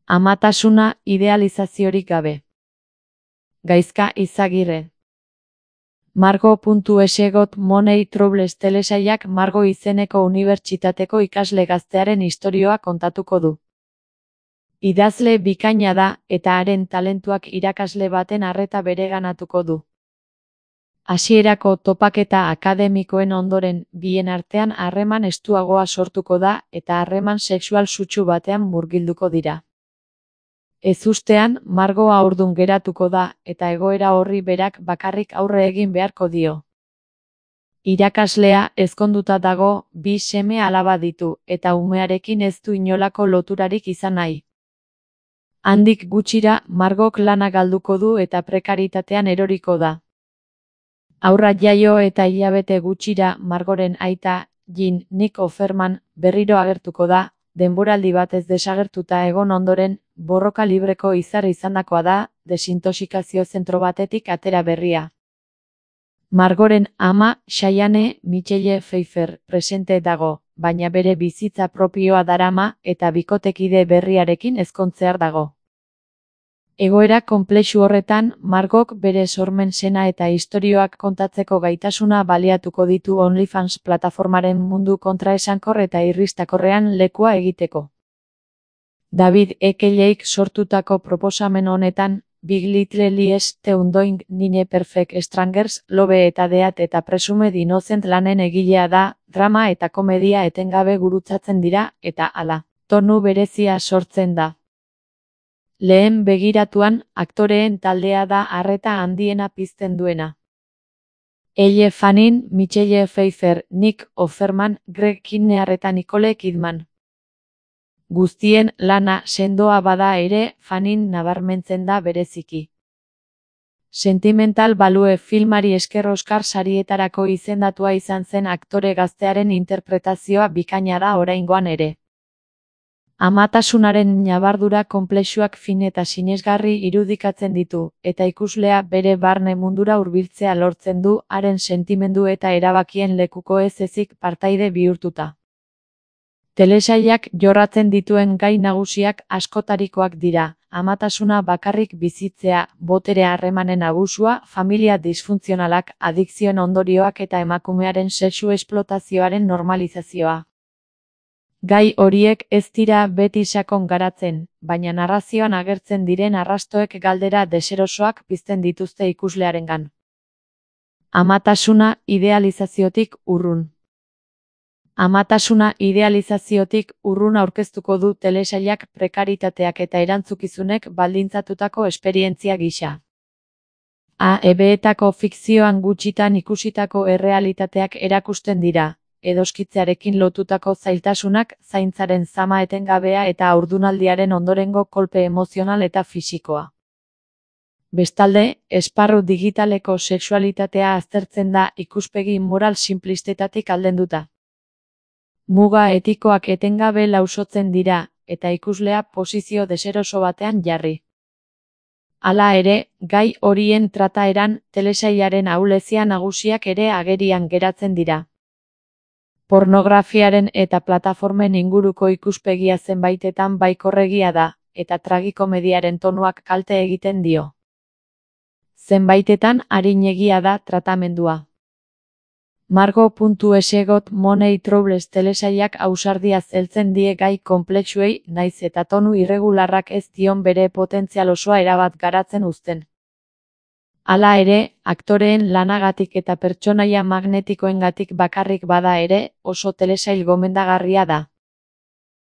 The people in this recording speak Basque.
Amatasuna idealizaziorik gabe. Gaizka Izagirre. Margo.es Got Money Troubles telesailak Margo izeneko unibertsitateko ikasle gaztearen istorioa kontatuko du. Idazle bikaina da eta haren talentuak irakasle baten arreta bereganatuko du. Hasierako topaketa akademikoen ondoren bien artean harreman estuagoa sortuko da eta harreman sexual sutsu batean murgilduko dira. Ezustean, Margo haurdun geratuko da eta egoera horri berak bakarrik aurre egin beharko dio. Irakaslea ezkonduta dago, 2 seme alaba ditu eta umearekin ez du inolako loturarik izan nahi. Handik gutxira, Margok lana galduko du eta prekaritatean eroriko da. Haurra jaio eta hilabete gutxira Margoren aita, Nick Offerman, berriro agertuko da, denboraldi batez desagertuta egon ondoren, borroka libreko izar izandakoa da, desintoxikazio zentro batetik atera berria. Margoren ama, Cheyenne Michelle Pfeiffer, presente dago, baina bere bizitza propioa darama eta bikotekide berriarekin ezkontzear dago. Egoera konplexu horretan, Margok bere sormen sena eta istorioak kontatzeko gaitasuna baliatuko ditu OnlyFans plataformaren mundu kontraesankor eta irristakorrean lekua egiteko. David Eckelleik sortutako proposamen honetan, Big Little Lies, The Undoing, Nine Perfect Strangers, Love eta Death eta Presumed Innocent lanen egilea da, drama eta komedia etengabe gurutzatzen dira, eta hala, tonu berezia sortzen da. Lehen begiratuan, aktoreen taldea da arreta handiena pizten duena. Elle Fanning, Michelle Pfeiffer, Nick Offerman, Greg Kinnear eta Nicole Kidman. Guztien lana sendoa bada ere, Fanning nabarmentzen da bereziki. Sentimental Value filmari esker Oscar sarietarako izendatua izan zen aktore gaztearen interpretazioa bikaina da oraingoan ere. Amatasunaren ñabardura konplexuak fin eta sinesgarri irudikatzen ditu, eta ikuslea bere barne mundura hurbiltzea lortzen du haren sentimendu eta erabakien lekuko ez ezik partaide bihurtuta. Telesailak jorratzen dituen gai nagusiak askotarikoak dira, amatasuna bakarrik bizitzea, botere harremanen abusua, familia disfuntzionalak, adikzioen ondorioak eta emakumearen sexu esplotazioaren normalizazioa. Gai horiek ez dira beti sakon garatzen, baina narrazioan agertzen diren arrastoek galdera deserosoak pizten dituzte ikuslearengan. Amatasuna idealizaziotik urrun. Amatasuna idealizaziotik urrun aurkeztuko du telesailak prekaritateak eta erantzukizunek baldintzatutako esperientzia gisa. AEBetako fikzioan gutxitan ikusitako errealitateak erakusten dira. Edoskitzearekin lotutako zailtasunak, zaintzaren zama etengabea eta haurdunaldiaren ondorengo kolpe emozional eta fisikoa. Bestalde, esparru digitaleko sexualitatea aztertzen da ikuspegi moral sinplistetatik aldenduta. Muga etikoak etengabe lausotzen dira, eta ikuslea posizio deseroso batean jarri. Hala ere, gai horien trataeran, telesailaren ahulezia nagusiak ere agerian geratzen dira. Pornografiaren eta plataformen inguruko ikuspegia zenbaitetan baikorregia da, eta tragikomediaren tonuak kalte egiten dio. Zenbaitetan arinegia da tratamendua. Margo.es Got Money Troubles telesailak ausardiaz heltzen die gai konplexuei, naiz eta tonu irregularrak ez dion bere potentzial osoa erabat garatzen uzten. Hala ere, aktoreen lanagatik eta pertsonaia magnetikoengatik bakarrik bada ere, oso telesail gomendagarria da.